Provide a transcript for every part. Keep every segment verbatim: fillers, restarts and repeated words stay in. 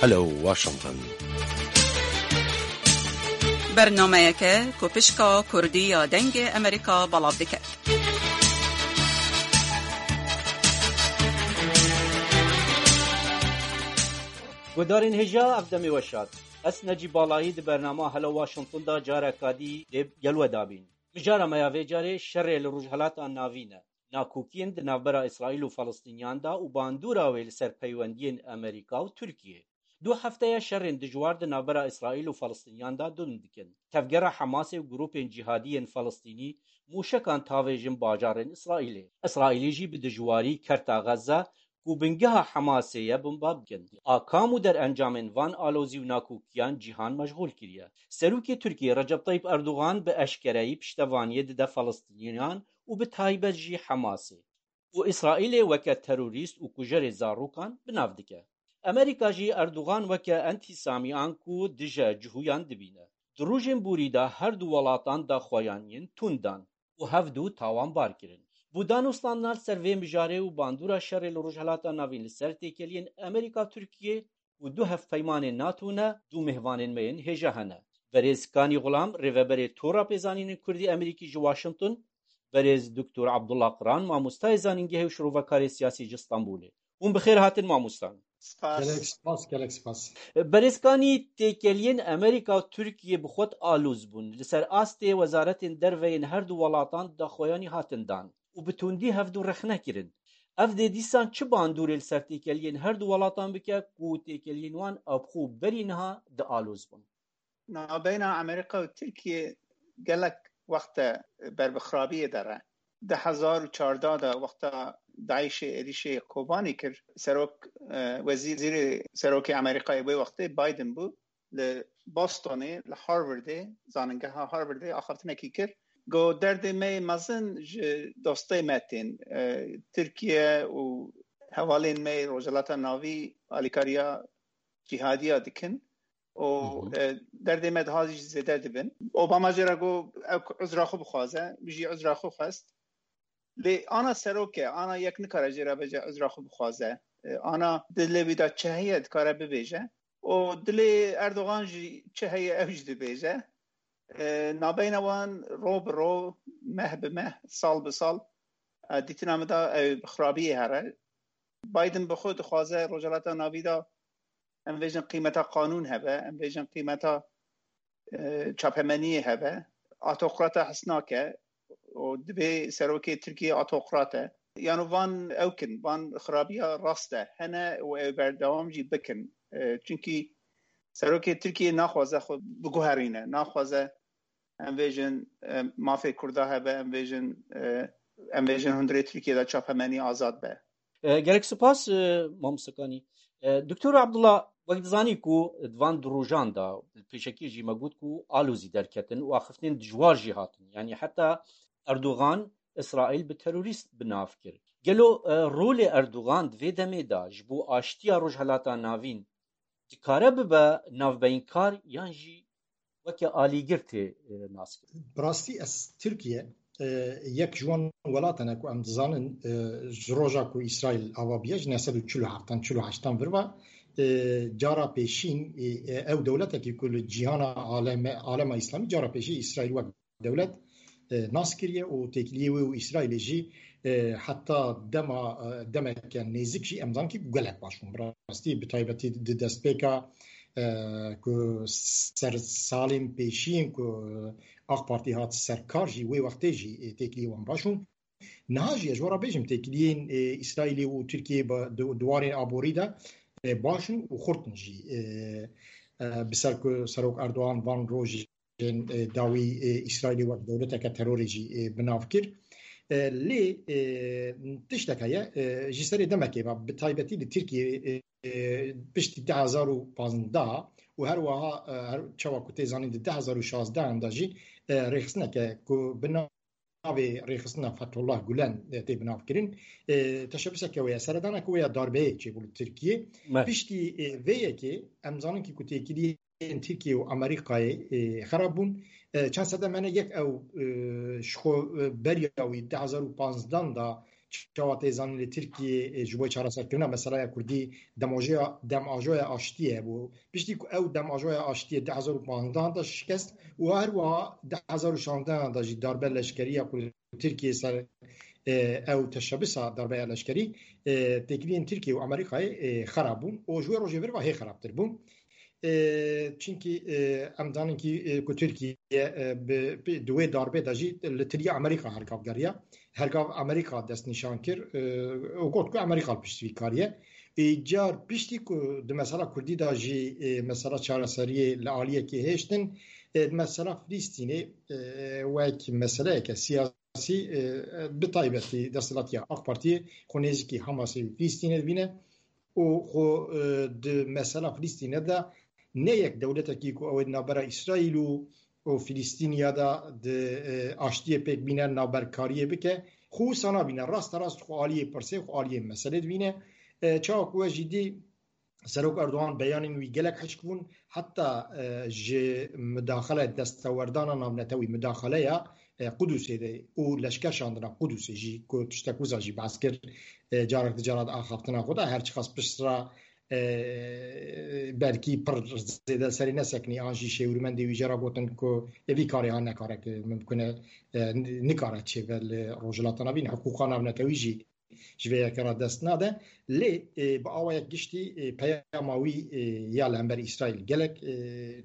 Hello Washington. Bernameyeke ku pişka Kurdî ya Dengê Amerîka belav dike. Guhdarên hêja, ev demê we şad. Ez Necî Balayî di bernama Hello Washington de careka dî lê gel we dabîn. Mijara me ya vê carê şerê li Rojhelata Navîn e. Nakokiyên di navbera Îsraîl û Felistîniyan de û bandora wê li ser peywendiyên Amerîka û Tirkiyê. Du hefte ye şerên dijwar di navbera Îsraîl û Felistîniyan de dûn dikin. Tevgera Hamasê û grûpên cîhadî yên Felistînî mûşekan tavêjin bajarên Îsraîlê. Îsraîlî jî bi dijwarî Kerta Xezze ku bingeha Hamasê ye, bomba dikin. Akam û derencamên van alozî û nakokiyan cîhan meşxûl kiriye. Serokê Tirkiyê Recep Tayyip Erdogan bi eşkereyî piştevaniyê dide Felistîniyan û bi taybet jî Hamasê û Îsraîlê weke terorîst û kujerê zarokan bi nav dike. Amerîka jî Erdogan weke entîsamiyan ku dije cihûyan dibîne. Di rojên borî de her du welatan daxuyaniyên tund dan û hevdu tawanbar kirin. Bo danûstandina li ser vê mijarê û bandora şerê li Rojhelata Navîn li ser têkeliyên Amerîka-Tirkiyê û du hevpeymanên NATO ne, du mêvanên me yên hêja hene. Berêz Kanî Xulam, rêveberê Tora Pêzanînên Kurdî Amerîkî ji Washington, berêz Doktor Abdullah Qiran, mamostayê zanîngehê û şirovekarê siyasî ji Stenbolê. Hûn bi xêr hatin mamostan. Spas. Gelek spas, gelek spas. Berêz Kanî, têkeliyên Amerîka û Tirkiyê bi xwe aloz bûn. Li ser astê wezaretên derve yên her du welatan daxuyanî hatin dan û bi tundî hevdu rexne kirin. Ev dê dîsan çi bandorê li ser têkeliyên her du welatan bike ku têkeliyên wan ew bi xwe berî niha dialozibin? Navbeyna Amerîka û Tirkiyê gelek wext e ber bi xirabiyê de re. Du hezar û çardeh de wexta DAIŞê êrîşê Kobanî kir, serok, e, wezîrê serokê Amerîkayê wê wextê Biden bû. Li Bostonê, li Harvardê, zaningeha Harvardê axaftinekî kir. Got, derdê me yê mezin ji dostê me tên. E, Tirkiye û hevalên me yê Rojhilata Navî alîkariya cîhadiya dikin û, Hı hı. e, derdê me daha jî zêde dibin. Obama jê re got, ew uzra xwe bixwaze, wî jî uzra xwe xwest. Lê ana serok e, ana yek nikare jê re bêje uzra xwe bixwaze. E, ana dilê wî de çi heye dikare bibêje. Û dilê Erdogan jî çi heye ew jî dibêje. E, nabeyna wan ro bi ro, meh bi meh, sal bi sal, e, dîtina min de ew bi xirabiyê here. Biden bi xwe dixwaze Rojhilata Navî de em bêjin qîmeta qanûn hebe, em bêjin qîmeta, e, çapemeniyê hebe. Autokrata hez nake û dibê serokê Tirkiyê autokrat e. Yano van ew kin, van xirabiya rast e, hene û ew berdewam jî bikin. E, çunkî serokê Tirkiyê naxwaze xwe biguherîne, naxwaze em bêjin, e, mafê Kurda hebe, em bêjin, e, em bêjin hundirê Tirkiyê de çapemenî azad be. E, gelek spas, e, mamoste Kanî. E, Doktor Abdullah, wek dizanî ku di van du rojan de, pêşekî jî me got ku alozî derketin û axiftinên dijwar jî hatin. Yanî heta Erdogan Îsraîl bi terorîst bi nav kir. Gelo, e, rolê Erdogan di vê demê de ji bo aştiya Rojhelata Navîn dikare bibe navbeynkar yan jî weke alîgir tê, e, naskirin? Bi rastî ez Tirkiye, e, yek ji wan welatan e ku em dizanin, e, ji roja ku Îsraîl ava bûye, ji neh sed û çil û heftan, çil û heştan vir ve, e, cara pêşîn, e, e, ew dewletekî ku li cîhana aleme, alema Îslamî cara pêşî Îsraîl wek dewlet, e, nas kiriye û têkiliyê wê û Îsraîlê jî, e, heta dema, e, demeke nêzik jî em zanin ku gelek baş bûn. Bi rastî, bi taybetî di destpêka, e, ku ser salên pêşiyên ku AK Partî hat ser kar jî, wê wextê jî, e, têkiliyê wan baş bûn. Niha jî ez ji we re bêjim, têkiliyên, e, Îsraîlê û Tirkiyê bi, di, di warên aborî de, e, baş in û xurt in jî. E, e, bi ser ku Serok Erdogan van rojê, e, dawî, e, Îsraîlê wek dewleteke terorê jî, e, bi nav kir. E, lê, e, tiştek heye, e, ji serê demekê ve, bi taybetî li Tirkiyê, e, e, piştî du hezar û pazdeh û her wiha, e, her çawa ku tê zanîn di du hezar û şazdeh de jî, e, rêxistineke ku bi navê rêxistina Fethullah Gulen, e, tê bi nav kirin. E, teşebuseke wê ye, seredaneke wê ya darbeyê çêbû li Tirkiyê. Me. Piştî, e, vê yekê em zanin kî ku têkiliyê yên Tirkiye û Amerîkayê, e, xerab bûn. E, çend sedem hene yek ew, e, ji xwe, e, beriya wî du hezar û panzdeh de çawa tê zanîn li Tirkiyê, e, ji bo çareserkirina meseleya Kurdî demajoya, demajoya aştiyê hebû. Piştî ku ew demajoya aştiyê du hezar û panzdehan de şikest û her wiha du hezar û şanzdehan de jî darbe leşkerî ya ku li Tirkiyê ser, e, ew teşebisa darbeya leşkerî, e, têkiliyên Tirkiye û Amerîkayê, e, xera bûn û ji wê rojê vir ve hê xerabtir bûn. E, çimkî, e, em zanin kî, e, ku Tirkiye, e, bi, bi, di wê darbê de jî li tiliya Amerîka hergav geriya. Hergav Amerîka destnîşan kir, e, û got ku Amerîka li pişt vî karî ye. Îcar piştî ku di mesela Kurdî de jî, e, mesela çareseriyê li aliyekê hêştin, e, di mesela Filistînê, e, wek meseleyeke siyasî, e, bi taybetî desthilatiya AK Partiyê xwe nêzîkî Hamasê û Filistînê dibîne û xwe, e, di mesela Filistînê de ne yek dewletekî ku ew ê di navbera Îsraîl û, û Filistîniya de di, e, aştiyê pêk bîne, navberkariyê bike, xwe wisa nabîne, rasterast xwe aliyê pirsê, xwe aliyê meselê dibîne. E, çawa ku we jî dî, Serok Erdogan beyanên wî gelek hişk bûn, heta, e, ji mudaxele destewerdana navnetewî, mudaxeleya, e, Qudusê de û leşker şandina Qudusê jî ku tiştek wiza jî behs kir, e, carek di cara de axaftina xwe de, her çiqas pişt re, e, belkî pir zêde serê nesekinî an jî şêwirmendê wî jê re gotin ku ê vî karê ha nekare, ku mimkun e, e, nikare çêbe li Rojhilata Navîn, hiqûqa navnetewî jî ji vê yekê re dest nade. Lê, e, bi awayek giştî, e, peyama wî, e, ya li hember Îsraîl gelek, e,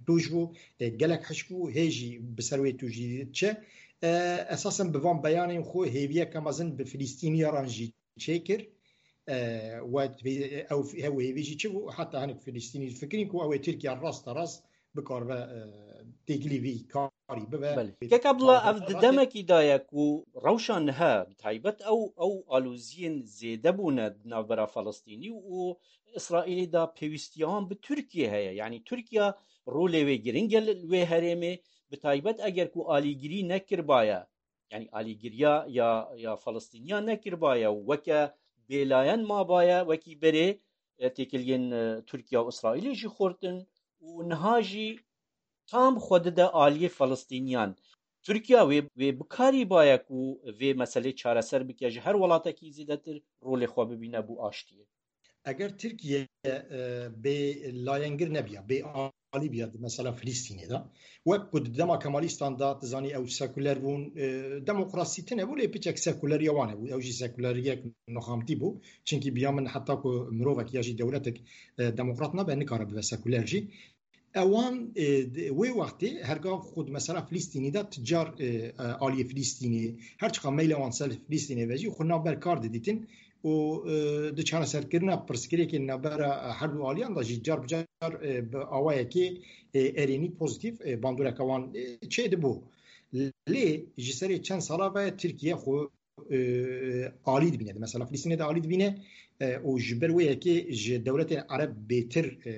tûj bû, e, gelek hişk bû, hê jî bi ser wê tûjî diçe. E, esasen bi van beyanên xwe hêviyeke mezin bi Filistîniyaran jî çêkir. E, we, ew, ew hêvî jî çi bû? Heta hinek Filistînî difikirîn ku ew ê Tirkiye rasterast bikaribe, e, têkilî vî karî bibe. Belê. Kek Abdullah, ev di demekî de ye ku rewşa niha, bi taybet ew, ew aloziyên zêde bûne di navbera Felistînî û Îsraîlê de pêwîstiya wan bi Tirkiye heye. Yanî Tirkiye rolê wê giring e li wê herêmê, bi taybet eger ku alîgirî nekiribaye, yanî alîgiriya ya, ya Felistîniya nekiribaye û weke bêlayen mabaye, wekî berê, e, têkiliyên, e, Tirkiye û Îsraîlê jî xurt in û niha jî tam xwe dide aliyê Felistîniyan. Tirkiye wê, wê bikarîbaye ku vê meselê çareser bike ji her welatekî zêdetir rolê xwe bibîne bo aştiyê. Eger Tirkiye, e, bê layengir nebiya, bê alî biya di mesela Filistînê de, wek ku di dema Kemalîstan de, tu zanî, ew sekuler bûn, e, demokrasî tune bû, lê piçek sekuleriya wan hebû. Ew jî sekuleriyek nuxamtî bû. Çimkî biya min heta ku mirovek ya jî dewletek, e, demokrat nabe, nikare bibe sekuler jî. Ewan, e, di, wê wextê hergav xwe di mesela Filistînî de ti car, e, e, aliyê Filistînê, her çiqa meyla wan ser Filistînê ve jî xwe navber kar didîtin û, e, di çareserkirina pirsgirêkên navbera, e, her du aliyan de jî car bi car, e, bi awayekê, e, erênî, pozîtîf, e, bandoreke wan, e, çêdibû. Lê ji serê çend sala ve Tirkiye xwe, e, alî dibîne. Mesela Filistînê de alî dibîne, e, û ji ber wê yekê ji dewletên Ereb bêtir, e,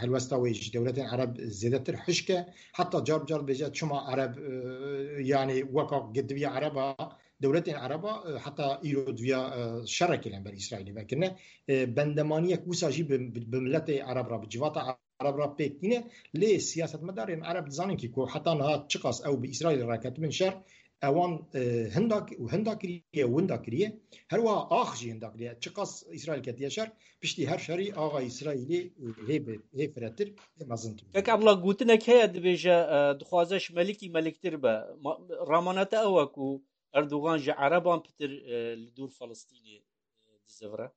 helwesta wê ji dewletên Ereb zêdetir hişk e. Heta car bi car dibêje çima Ereb, e, yanî weka diviya Ereba, dewletên Ereba, e, heta îro diviya, e, şerekê li hember Îsraîlê vekirine. E, bendemaniyek wisa jî bi, bi, bi miletê Ereb re, bi civata Ereb re pêk tîne. Lê siyasetmedarên Ereb dizanin kî ku heta niha çiqas ew bi Îsraîlê re ketibin şer, ewan, e, hinda ki-, û hinda kiriye û winda kiriye. Her wiha ax jî hinda kiriye. Çiqas Îsraîl ketiye şer, piştî her şerî axa Îsraîlê, e, hê bi-, hê firehtir, hê mezintir. Kek Abdullah, gotinek heye, dibêje, e, dixwaze ji Melikî meliktir be. Ma-, ramana te ew e ku Erdogan ji Ereban pitir, e, li dûr Felistînê, e, dizivire?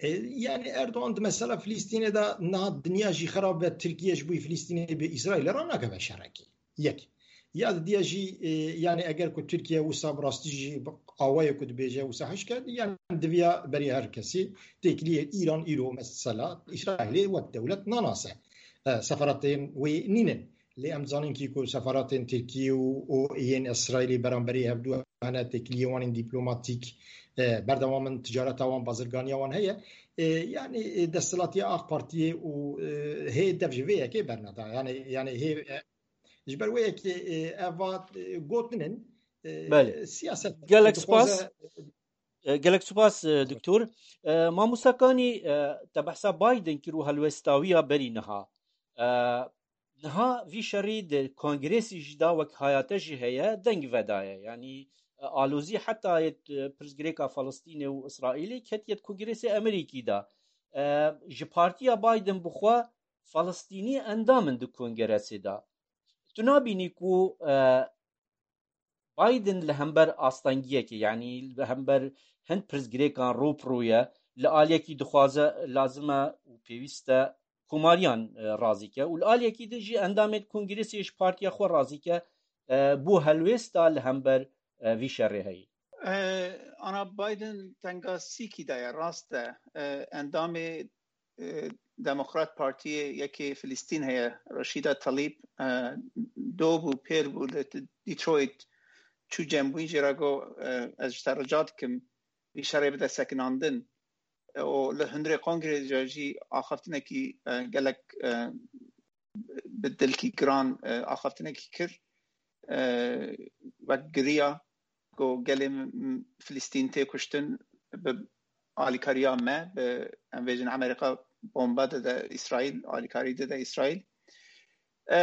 E, yani Erdogan di mesela Filistînê de niha dinya jî xerab be, Tirkiye ji bo Filistînê bi Îsraîlê re nakeve şerekî. Yek. Ya didiya jî, e, yani eger ku Tirkiye wisa bi rastî jî awayê ku dibêje wisa hişk e, yani diviya berî her kesî têkiliyê Îran îro mesela Îsraîlê wek dewlet nanase. E, seferatên wê nînin. Lê em zanin kî ku seferatên Tirkiyê û, û yên Îsraîlê beramberî hevdû hene, têkiliyê wan ên dîplomatîk, e, berdewam in, ticareta wan, bazirganiya wan heye. E, yani, e, desthilatiya AK Partiyê û, e, hê dev ji vê yekê berneda. Yani, yani hê, e, ji ber wê yekê, e, eva, e, gotin in, e, Belê. Siyaset Gelek dixwaze spas. E, gelek spas, e, doktor. E, Mamosta Kanî, e, te behsa Biden kir û helwestawiya berî niha. E, Niha vî şerî di kongresî jî de wek hayate jî heye, deng vedaye. Yanî, e, alozî heta yê, e, pirsgirêka Falistînê û Îsraîlê ketiye di Kongresa Amerîkî de. E, ji partiya Biden bi xwe Falistînî endam in di Kongresa de. Tu nabînî ku, e, Biden li hember astengiyekê, yanî li hember hin pirsgirêkan rû bi rû ye, li aliyekî dixwaze, lazim e û pêwîst e komariyan, e, razî ke û li aliyekî din jî endamên Kongrêsê ji partiya xwe razî ke, e, bo helwêsta li hember, e, vî şerê heye. E, Ana Biden tengasîkî daye, rast e. E, endamê, e, Demokrat Partiyê yekê Filistîn heye, Rashida Tlaib, e, do bû, pêr bû li Detroit, çû cembûyî jê re got, e, ez ji te rica dikim, vî şerê bide sekinandin. E, û li hundirê kongrê de jî axaftinekî, e, gelek, e, bi dilkî giran, e, axaftinekî kir. E, wek giriya, got gelê m-, m-, Filistîn tê kuştin bi alîkariya me, bi, em bêjin Amerîka bombe dide Îsraîl, alîkarî dide Îsraîl. E,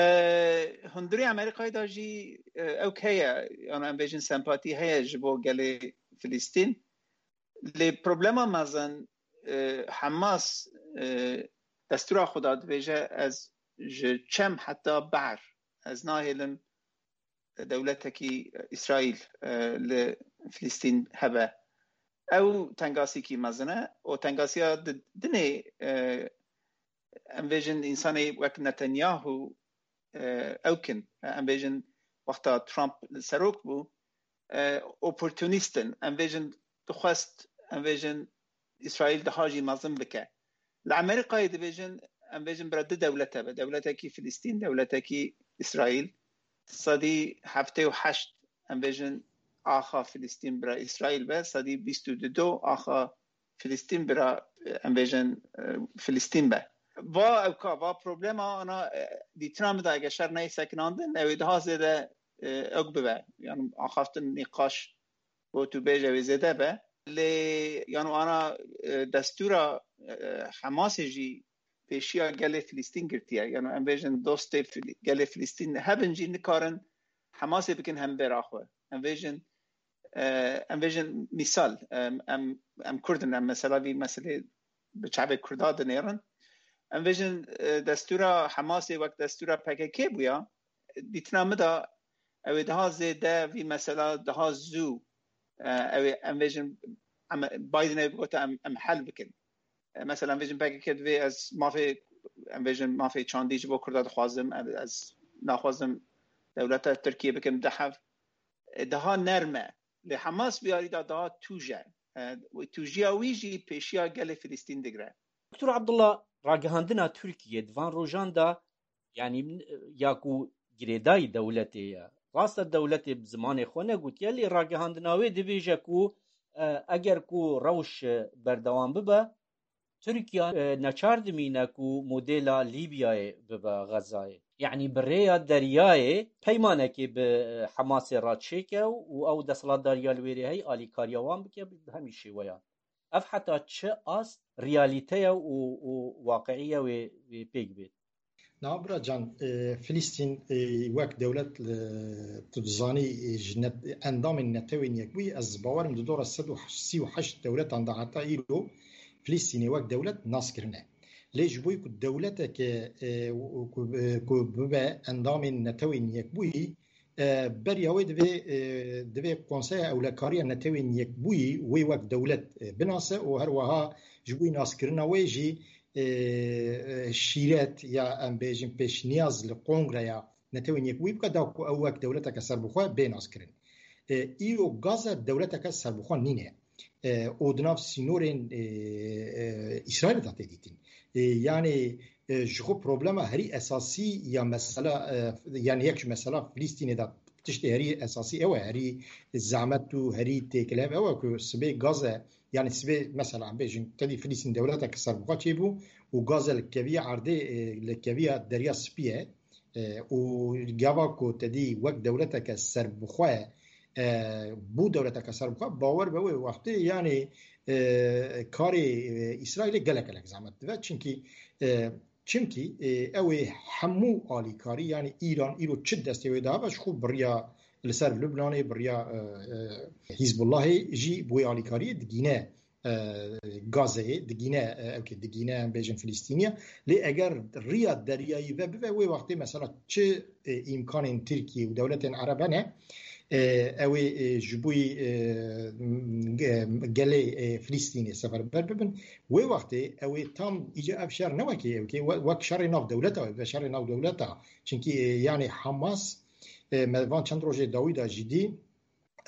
hundirê Amerîkayê de jî, e, ewk heye, yan em bêjin sempatî heye ji bo gelê Filistîn. Lê problema mezin, e, Hamas, e, destûra xwe de dibêje, ez ji çem heta behr, ez nahêlim dewletekî Îsraîl, e, li Filistîn hebe. Ew tengasîkî mezin e û tengasiya di-, dinê, e, em bêjin însanê wek Netanyahu, e, ewk in. Em bêjin wexta Trump serok bû, e, oportunîst in. Em bêjin dixwest, em bêjin Îsraîl daha jî mezin bike. Li Amerîkayê dibêjin, em bêjin bira du dewlet hebe. Dewletekî Filistîn, dewletekî Îsraîl. Sedî heftê û heşt, em bêjin, axa Filistîn bira Îsraîl be. Sedî bîst û du axa Filistîn bira, em bêjin, e, Filistîn be. Va ewka, va problema ana, e, dîtina min de eger şer neyê sekinandin, ew ê daha zêde, e, ewk bibe. Yani axaftin nîqaş bo tu bêje wê zêde be. Lê, yani ana, e, destûra, e, Hamasê jî pêşiya gelê Filistîn girtiye. Yani em bêjin dostê Fili-, gelê Filistîn hebin jî nikarin Hamasê bikin hembêra xwe. Em bêjin, e, em bêjin mîsal, em, em, em Kurd in, em mesela vî meselê bi çavê Kurda dinêrin. Em bêjin, e, destûra Hamasê wek destûra P K K bûya, dîtina min de ew ê daha zêde vî mesela daha zû, e, ew ê em bêjin, em, Bidenê gote em, em hel bikin. E, mesela em bêjin P K K divê ez mafê, em bêjin mafê çandî ji bo Kurda dixwazim, ez, ez naxwazim dewleta Tirkiye bikim di hev. E, daha nerm e. Lê Hamas bi yarî de daha tûj e. E, û tûjiya wî jî pêşiya gelê Filistîn digire. Doktor Abdullah, ragihandina Tirkiye di van rojan de, yanî, ya ku girêdayî dewletê ye. Rast e, dewletê bi zimanê xwe negotiye, lê ragihandina wê dibêje ku, e, eger ku rewş, e, berdewam bibe, Tirkiye, e, neçar dimîne ku modela Lîbyayê bibe Xezayê. Yanî bi rêya deryayê peymanekê bi, e, Hamasê re çêke û ew desthilatdariya li wêrê heye alîkariya wan bike bi hemî şêweyan. Ev heta çi ast realîte ye û, û waqiî ye wê, wê pêk bêt? Na bira can, e, Filistîn, e, wek dewlet, e, tu dizanî, e, ji net-, endamên Netewên Yekbûyî, ez bawerim di dora sed û sî û heşt dewletan de heta îro Filistînê wek dewlet nas kirine. Lê ji bo ku dewleteke, e, ku, e, ku bibe endamên Netewên Yekbûyî, e, beriya wê divê, e, divê Konseya Ewlekariya Netewên Yekbûyî wê wek dewlet, e, binase û her wiha ji bo naskirina wê jî, e, e, şîret ya em bêjin pêşniyaz li Kongreya Netewên Yekbûyî bike da ku ew wek dewleteke serbixwe bê naskirin. E, îro Gaza dewleteke serbixwe nîne. E, û di nav sînorên, e, e, Îsraîlê de tê dîtin. E, yanî, e, ji xwe problema herî esasî ya mesela, e, yanî yek ji mesela Filistînê de tiştê herî esasî ew e, herî zehmet û herî têkilhev ew e ku sibê Gaze, yanî sibê mesela em bêjin tedî Filistîn dewleteke serbixwe çêbû û Gaze li keviya erdê, e, li keviya Derya Spî ye. E, û gava ku te dî wek dewleteke serbixwe, e, bû dewleteke serbixwe, bawer be wê wextê, yanî, e, karê, e, Îsraîlê gelek gelek zehmet dibe. Çimkî, e, çimkî, e, ew ê hemû alîkarî, yanî Îran îro çi destê wê dibe, ji xwe bi riya, li ser Lubnanê, bi riya, e, e, Hizbullahê jî bi wê alîkariyê digîne, e, Gazeyê, digîne, e, ew kê digîne, em bêjin Filistîniya. Lê eger riya deryayî ve bibe, wê wextê mesela çi, e, îmkanên Tirkiye û dewletên Ereb hene, e, ew ê, e, ji bo, e, ge-, gelê, e, Filistînê seferber bibin. Wê wextê ew ê tam îca ev şer ne wekê ew kê, we-, wek şerê nav dewleta, ve şerê nav dewleta. Çinkî, e, yani Hamas, e, me van çend rojê dawî da jî dî,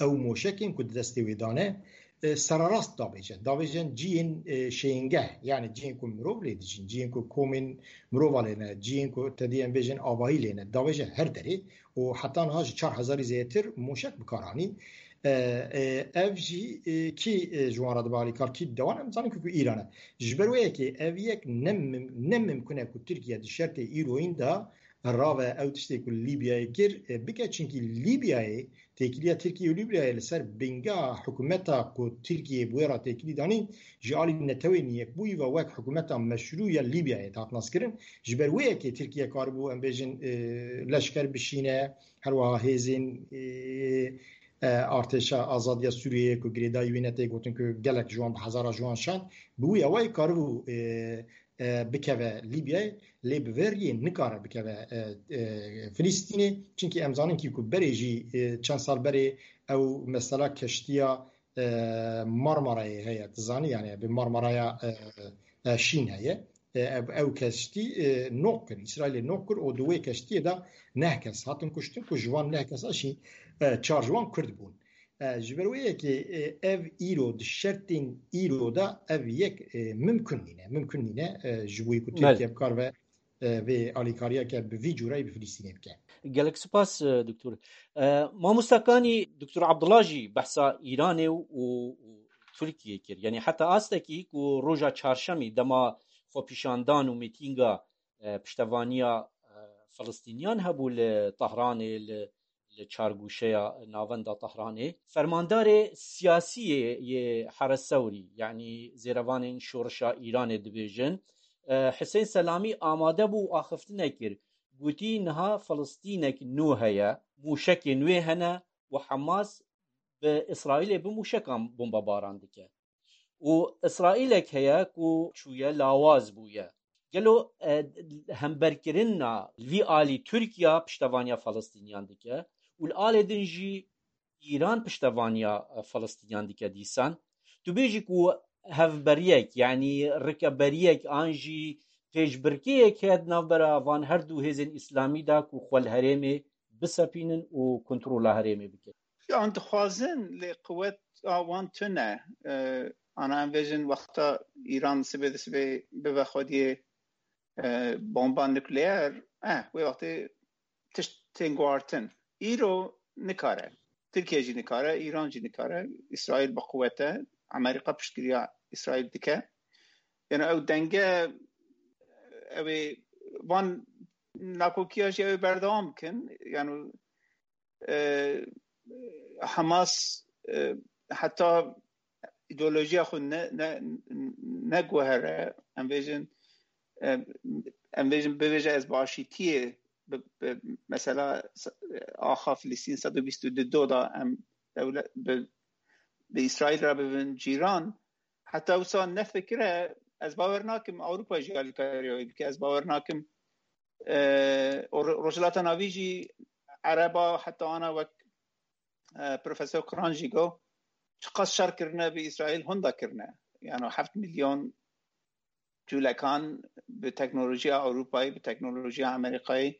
ew moşekên ku di destê wê dane, e, sererast davêje. Davêjin ciyên, e, şêngeh, yani ciyên ku mirov lê dijîn, ciyên ku komên mirova lê ne, ciyên ku te dî em bêjin avahî lê ne, davêje her derê û heta niha ji çar hezarî zêdetir moşek bi kar anî. E, e, ev jî, e, kî, e, ji wan re dibe alîkar, kî didewan, em zanin ku, ku Îran e. Ji ber wê yekê ev yek ne mim-, ne mimkun e ku Tirkiye di şertê îroyîn de rave ew tiştê ku Lîbyayê kir, e, bike, çinkî Lîbyayê, têkiliya Tirkiye û Lîbyayê li ser bingeha hikûmeta ku Tirkiye bi wê re têkilî danîn, ji alî Netewên Yekbûyî ve wek hikûmeta meşrû ya Lîbyayê dihat naskirin. Ji ber wê yekê Tirkiye karibû, em bêjin, e, leşker bişîne, her wiha hêzên, e, e, artêşa azadiya Sûriyeyê ku girêdayî wî ne tê gotin ku gelek ji wan, bi hezara ji wan şand, bi wî awayî karibû, e, e, bikeve Lîbyayê, lê bi vê riyê nikare bikeve, e, e, Filistînê. Çinkî em zanin kî ku berê jî, e, çend sal berê ew mesela keştiya, e, Marmarayê heye. Tu zanî, yani bi Marmaraya, e, e, Şîn heye. E, ev, ew keştî, e, nok kir. Îsraîlê nok kir û di wê keştiyê de neh kes hatin kuştin ku ji wan neh kesa jî, e, çar ji wan Kurd bûn. E, ji ber wê yekê, e, ev îro di şertên îro de ev yek, e, mimkun nîne. Mimkun nîne, e, ji bo ku Belê. Tirkiye bikar ve, e, vê alîkariyeke bi vî cûreyî bi Filistînê bike. Gelek spas, e, doktor. E, mamosta Kanî, doktor Abdullah jî behsa Îranê û, û, û Tirkiye kir. Yani heta astekî ku roja çarşemî dema xwepîşandan û mîtînga, e, piştevaniya, e, Filistîniyan hebû li Tehranê, li li çargûşeya navenda Tehranê. Fermandarê siyasî yê, yê Heres Sewrî, yanî zêrevanên şorişa Îranê dibêjin, e, Hisên Selamî amade bû û axiftinek kir. Gotî, niha Filistînek nû heye, mûşekên wê hene û Hamas bi Îsraîlê bi mûşekan bombebaran dike. Û Îsraîlek heye ku çûye lawaz bûye. Gelo, e, hemberkirina vî alî Tirkiye piştevaniya Filistîniyan dike û li alê din jî Îran piştevaniya, e, Filistîniyan dike dîsan? Tu bêjî ku hevberiyek, yanî rikeberiyek an jî pêşbirkeyek heye di navbera van her du hêzên îslamî de ku xwe li herêmê bisepînin û kontrola herêmê bikin? Yan dixwazin, lê quweta wan tune. E, ana em vêjin wexta Îran sibê di sibê bibe xwediyê, e, bomba nukleer, eh, wê wextê tişt tên guhartin. Îro nikare. Tirkiye jî nikare, Îran jî nikare. Îsraîl bi quwet e. Amerîka piştgiriya Îsraîl dike. Yani ew denge, ew ê van nakokiya jî ew ê berdewam bikin. Yani, e, Hamas, e, heta îdeolojiya xwe ne, ne, neguhere. Em bêjin, e, em bêjin, bibêje ez bi aşîtiyê, bi, bi, mesela, s-, axa Filistîn sed û bîst û du da em dewlet, bi, bi Îsraîl re bibin cîran. Heta wisa nefikire, ez bawer nakim Ewropa jî alîkariya wê bike. Ez bawer nakim, e, o Ro-, Rojhilata Navî jî Ereba heta ana wek, e, Profesor Kuran jî got, çiqas şer kirine bi Îsraîl, hunda kirine. Yani heft milyon cûlekan bi teknolojiya Ewropayê, bi teknolojiya Amerîkayê,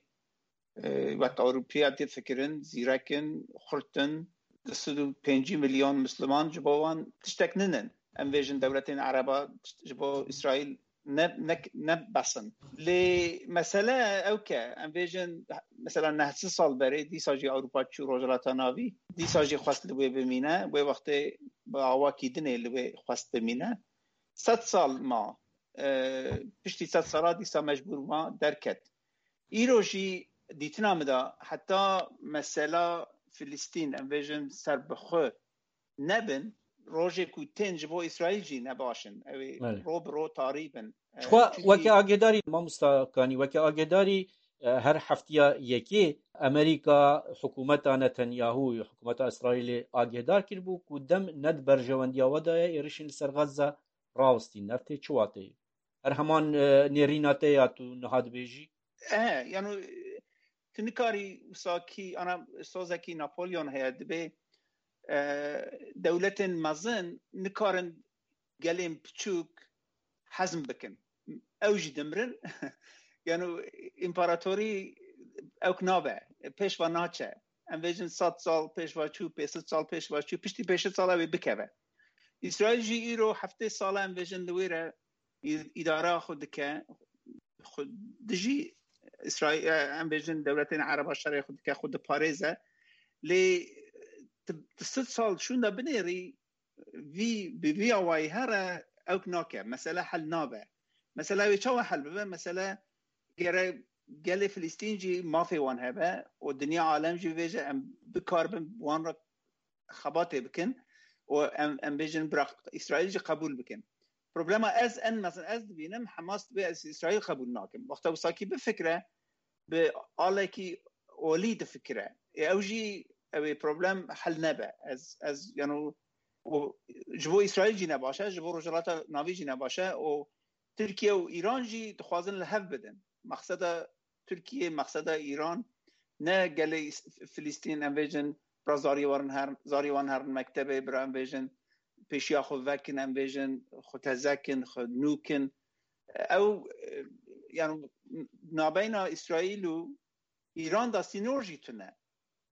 e, wek Ewropiya difikirin, zîrek in, xurt in, du sed û pêncî milyon Misliman ji bo wan tiştek nînin. Em vêjin dewletên Ereba ji bo Îsraîl ne, ne, ne bes in. Lê mesele ew ke, em vêjin, mesela neh sed sal berê, dîsa jî Ewropa çû Rojhilata Navî, dîsa jî xwest li wê bimîne, wê wextê bi awakî dinê li wê xwest bimîne. Sed sal ma, e, piştî sed sala dîsa mecbûr ma derket. Îro jî dîtina min de heta mesela Filistîn, em vêjin serbixwe nebin, rojê ku tên ji bo Îsraîl jî ne baş in. Ew ê Belê. ro bi ro tarî bin. E, Jixwe çünkü weke agêdarî, mamosta Kanî, weke agêdarî, E, her heftiya yekê Amerîka hikûmeta Netanyahu, hikûmeta Îsraîlê agêhdar kiribû ku dem ne di berjewendiya we de ye êrişên li ser Gaza rawestîn. Ev tê çi wateyê? Her heman, e, nêrîna te ya tu niha dibêjî? E, yani, e, tu nikarî wisa kî, ana sozekî Napolyon heye, dibê, e, dewletên mezin nikarin gelên piçûk hezm bikin. Ew jî dimirin. Yani împaratorî ewk nabe, pêş ve naçe. Em vêjin sed sal pêş ve çû, pênc sed sal pêş ve çû, piştî pênc sed sal ew ê bikeve. Îsraîl jî îro heftê sal e, em vêjin li wê re î-, îdara xwe dike, xwe dijî Îsraîl, e, em bêjin dewletên Ereba şerê xwe dike, xwe diparêze. Lê tu, tu sed sal şûnde binêrî, vî, bi vî awayî here ewk nake. Mesele hel nabe. Mesele wê çawa hel bibe? Mesele gere gelê Filistîn jî mafê wan hebe û dinya alem jî vêje em bikaribin wan re xebatê bikin û em, em bêjin bira Îsraîl jî qebûl bikin. Problema ez en mezin ez dibînim, Hamas dibê ez Îsraîl qebûl nakim. Wexta wisa kî bifikre, bi alekî olî difikire. Ê ew jî, ew ê problem hel nebe. Ez, ez, yani, û ji bo Îsraîl jî ne baş e, ji bo Rojhilata Navî jî ne baş e û Tirkiye û Îran jî dixwazin li hev bidin. Mexseda Tirkiye, mexseda Îran ne gelê Îs-, Filistîn, em vêjin, bira zarî werin her, zarî wan herin mektebê, bira em vêjin, pêşiya xwe vekin, em bêjin, xwe teze kin, xwe nû kin. Ew, e, yani, nabeyna Îsraîl û Îran de sînor jî tune.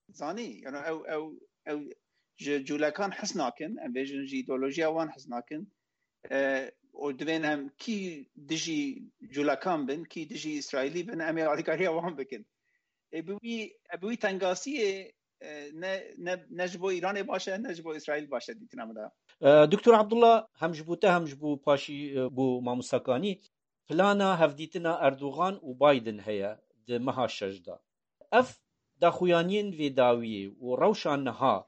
Zanî, yani, ew, ew, ew ji cûlekan hez nakin, em bêjin, ji îdeolojiya wan hez nakin. E, û divên em kî dijî cûlekan bin, kî dijî Îsraîlî bin, em ê alîkariya wan bikin. Ê, bi wî, bi wî tengasiyê, e, ne, ne, ne ji bo Îranê baş e, ne ji bo Îsraîl baş e dîtina min de. E, Doktor Abdullah, hem ji bo te, hem ji bo paşî, e, bo mamosta Kanî, plana hevdîtina Erdogan û Biden heye di meha şeş de. Ev daxuyaniyên vê dawiyê û rewşa niha,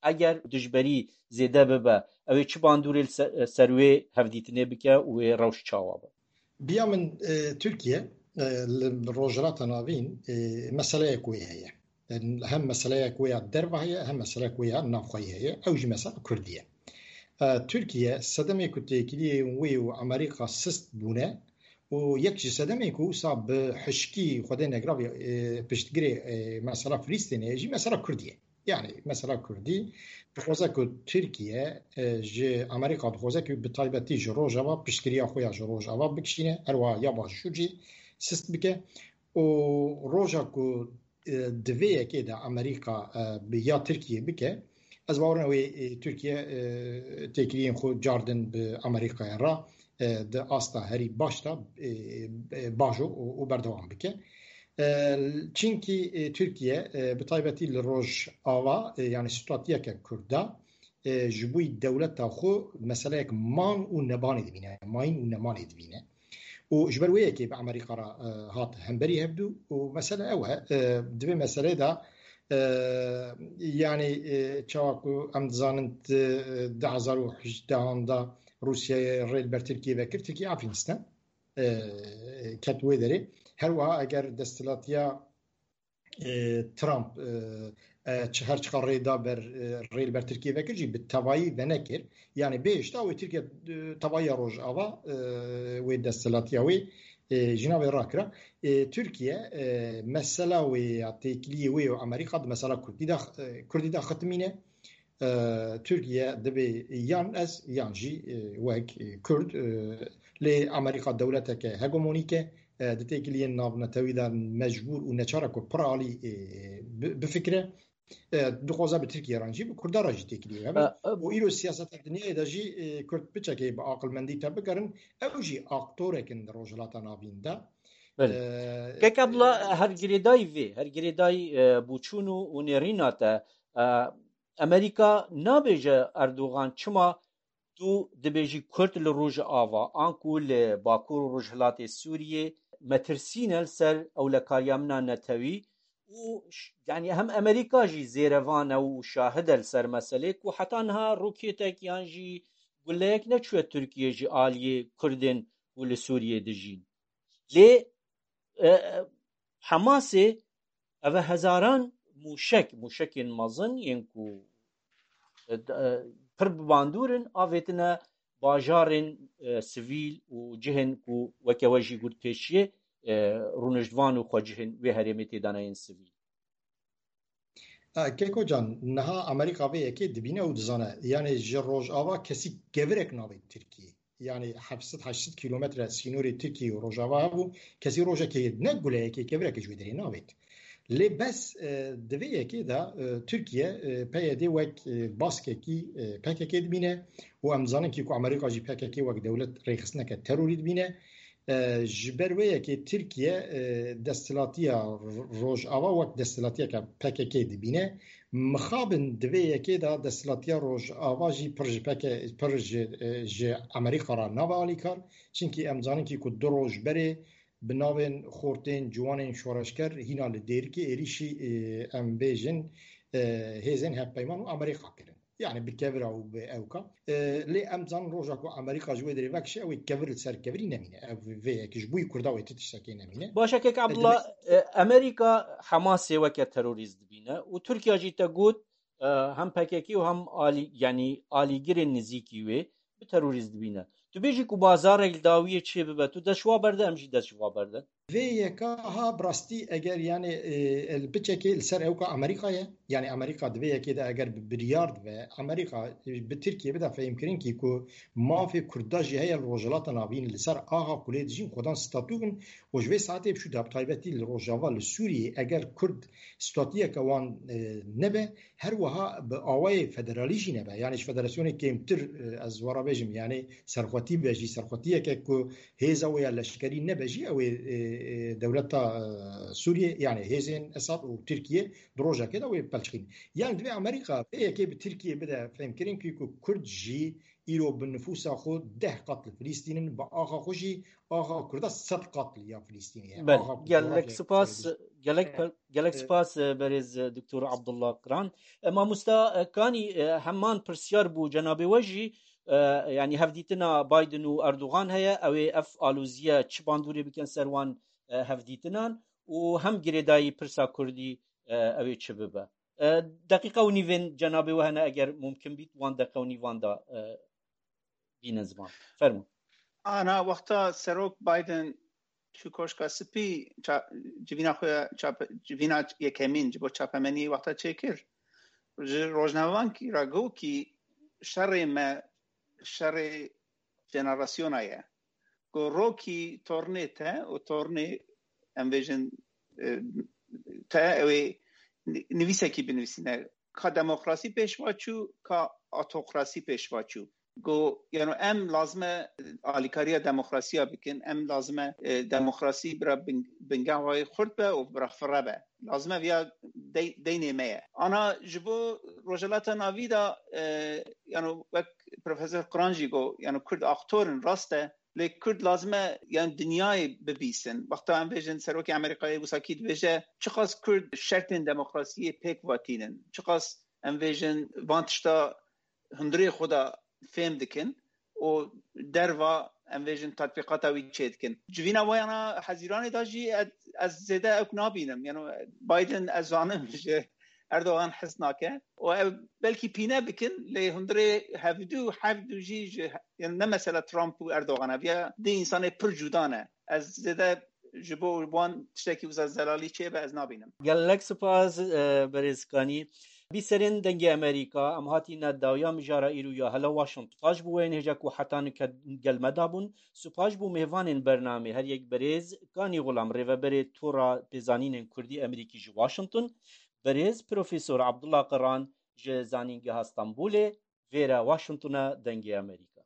eger dijberî zêde bibe, ew ê çi bandorê li se-, ser wê hevdîtinê bike û wê rewş çawa be? Biya min, e, Tirkiye, e, li Rojhilata Navîn, e, meseleyek wê heye. E, hem meseleyek wê ya derve heye, hem meseleyek wê ya navxweyî heye. Ew jî mesela Kurdî ye. E, Tirkiye sedemê ku têkiliyên wê û Amerîka sist bûne û yek ji sedemên ku wisa bi hişkî Xwedê negiravî, e, piştgirê, e, mesela Filistînê ye jî mesela Kurdî ye. Yani mesela Kurdî dixwaze ku Tirkiye, e, ji Amerîka dixwaze ku bi taybetî ji Rojava piştgiriya xwe ya ji Rojava bikişîne, herwiha ya Başûr jî sist bike û roja ku, e, di vê yekê de Amerîka, e, bi ya Tirkiye bike, ez bawer nakim wê, e, Tirkiye, e, têkiliyên xwe cardin bi Amerîkaya re, e, di asta herî baş de, e, e, bajo û, û berdewam bike. E, çinkî, e, Tirkiye, e, bi taybetî li Rojava, e, yani statuyeke Kurd de, e, ji bo dewleta xwe meseleyek man û nebanê dibîne, mayîn û nemanê dibîne. Û ji ber wê yekê bi Amerîka re, e, hat hemberî hevdû û mesele ew e, e, di vê meseleyê de, e, yani, e, çawa ku em dizanin di, e, du hezar û hejdehan de Rûsyayê rê li ber Tirkiyê vekir, Tirkiye Efrînistan, e, ket wê derê. Her wiha eger desthilatiya, e, Trump, e, e, çi, her çiqa rê da ber, e, rê li ber Tirkiyê vekir jî bi tevayî venekir. Yani bêhişta wê Tirkiye, e, tevayiya Rojava, e, wê desthilatiya wê, e, ji navê rakira. E, Tirkiye, e, mesela wê ya têkiliyê wê û Amerîka di mesela Kurdî de, e, Kurdî de xitimîne. E, Tirkiye dibê yan ez yan jî, e, wek, e, Kurd, e, lê Amerîka dewleteke hegemonîk e, e, di têkiliyên navnetewî de mecbûr û neçar e ku piralî, e, bi-, bifikire. E, dixwaze bi Tirkiye re jî, bi Kurda re jî têkiliyê hebe. E, e, û îro siyaseta dinyayê de jî, e, Kurd piçekê bi aqilmendî te bigerin, ew jî aktorek in di Rojhilata Navîn de. Belê. E, Kek Abdullah, e, her girêdayî vê, her girêdayî, e, boçûn û, û nêrîna te, e, Amerîka nabêje Erdogan çima tu dibêjî Kurd li Rojava, anku li Bakur û Rojhilatê Sûriyê metirsî ne li ser ewlekariya min a netewî û ş-, yani hem Amerîka jî zêrevan e û şahid e li ser meselê ku heta niha rokêtek yan jî guleyek neçûye Tirkiye ji aliyê Kurdên ku li Sûriyê dijîn. Lê, e, e, Hemasê ev e hezaran mûşek, mûşekên mezin yên ku, e, d-, e, pir bi bandûr in, avêtine bajarên, e, sivîl û cihên ku weke we jî got pêşiyê, e, rûniştvan û xwecihên wê herêmê tê dana yên sivîl. E, Keko can, niha Amerîka vê yekê dibîne û dizane. Yanî ji Rojava kesî kevirek navê Tirkiyê. Yanî heft sed heşt sed kîlometre sînorê Tirkiyê û Rojava hebû. Kesî rojekê ne guleyekê, kevirek ji wê derê navêt. Lê bes, e, di vê yekê de, e, Tirkiye, e, P Y D wek, e, baskekî, e, P K K dibîne û em zanin kî ku Amerîka jî P K K wek dewlet rêxistineke terorî dibîne. E, ji ber wê yekê Tirkiye, e, desthilatiya Ro-, Rojava wek desthilatiyeke P K K dibîne. Mixabin di vê yekê de desthilatiya Rojava jî pir ji P K K, pir ji, e, ji Amerîka re nabe alîkar. Çimkî em zanin kî ku du roj berê bi navên xortên ciwanên şoreşger hîna li Dêrikê êrîşî, e, em bêjin, e, hêzên hevpeyman û Amerîka kirin. Yani bi kevira û bi ewka. E, lê em zanin roja ku Amerîka ji wê derê vekişe, ew ê kevir li ser kevirî nemîne. Ev vê yekê ji bo yî Kurda wê ti tiştekê nemîne. Baş e, kek E, Abdullah, e, Amerîka Hamasê weke terorîst dibîne û Tirkiye jî te got, e, hem P K K û hem alî-, yani alîgirên nizîkî wê bi terorîst dibîne. Tu bêjî ku bazarek li dawiyê çê bibe, tu dest ji wa berde, em jî dest ji wa berdin. Vê yeka ha bi rastî eger, yani, e, el biçekê li ser ewka Amerîka ye. Yani Amerîka di vê yekê de eger bi biryar dibe, Amerîka, e, bi Tirkiye bide fehmkirin kî ku mafê Kurda jî heye li Rojhilata Navîn li ser axa ku lê dijîn xwedan statû bin û ji vê saetê bi şû de bi taybetî li Rojava li Sûriyê eger Kurd statûyeke wan, e, nebe, her wiha bi awayê federalî jî nebe. Yani ji federasyonê kêmtir, e, ez wara bêjim, yani serxwetî be jî, serxwetiyeke ku hêza wê ya leşkerî nebe jî, ew ê, e, e, dewleta, e, Sûriyê, yani hêzên Esad û Tirkiye di rojekê de wê pelçixîn. Yani divê Amerîka vê yekê bi Tirkiye bide fehmkirin kî ku Kurd jî îro bi nifûsa xwe deh qat li Filîstîn in, bi axa xwe jî axa Kurda sed qat li ya Filîstînê ye. Belê, axa gelek coğrafya spas, serê gelek, e, gelek e, spas, e, berêz, e, Doktor Abdullah Qiran. E, mamosta, e, Kanî, e, heman pirsyar bû cenabê we jî, e, yani hevdîtina Biden û Erdogan heye, ew ê ev alozîye çi bandorê bikin ser wan, e, hevdîtinan û hem girêdayî pirsa Kurdî, e, ew ê çi bibe? E, deqîqe û nîvên cenabê we hene, eger mumkin bît, wan deqe û nîvan da, e, bînin ziman. Fermû. Ana wexta Serok Biden çû Koşka Spî, ça-, civîna xwe ya çape-, civîna yekemîn ji bo çapemeniyê wexta çêkir, ji rojnamevankî re got kî şerê me şerê jenerasyona ye. Ku rokî tornê te û tornê, em bêjin, e, te, ew ê ni-, nivîsekî binivîsîne. Ka demokrasî pêş va çû, ka autokrasî pêş va çû. Got, yano em lazim e alîkariya demokrasiya bikin, em lazim e, e, demokrasî bira bin-, bingehayê xurt be û bira firre be. Lazim e viya dey-, deynê me ye. Ana ji bo Rojhilata Navî de, e, yano wek Profesor Qiran jî got, yano Kurd aktor in, rast e, lê Kurd lazim e, yan dinyayê bibîsin. Wexta em bêjin serokê Amerîkayê wisa kî dibêje, çiqas Kurd şertên demokrasiyê pêk vatînin, çiqas em bêjin van tişta hundirê xwe de fêm dikin û derva em bêjin tatbîqata wî çêdikin. Civîna wayana Hezîranê de jî ez, ez zêde ewk nabînim. Yano Biden ez zanim ji Erdogan hez nake û ew belkî pîne bikin, lê hundirê hevdû, hevdû jî ji, yani ne mesela Trump û Erdogan e, viya di însanê pir cuda ne. Ez zêde ji bo wan tiştekî wisa zelalî çêbe ez nabînim. Gelek spas, e, berêz Kanî. Bîserên Dengê Amerîka, em hatîne dawiya mijara îro ya hela Washington. Spas ji bo wê hêja ku heta nike gel me dabûn. Spas ji bo mêvanên bernamê, her yek berêz Kanî Xulam, rêveberê Tora Pêzanînên Kurdî Amerîkî ji Washington, berêz Profesor Abdullah Qiran ji Zanîngeha Stenbolê, vêre Washingtona Dengê Amerîka.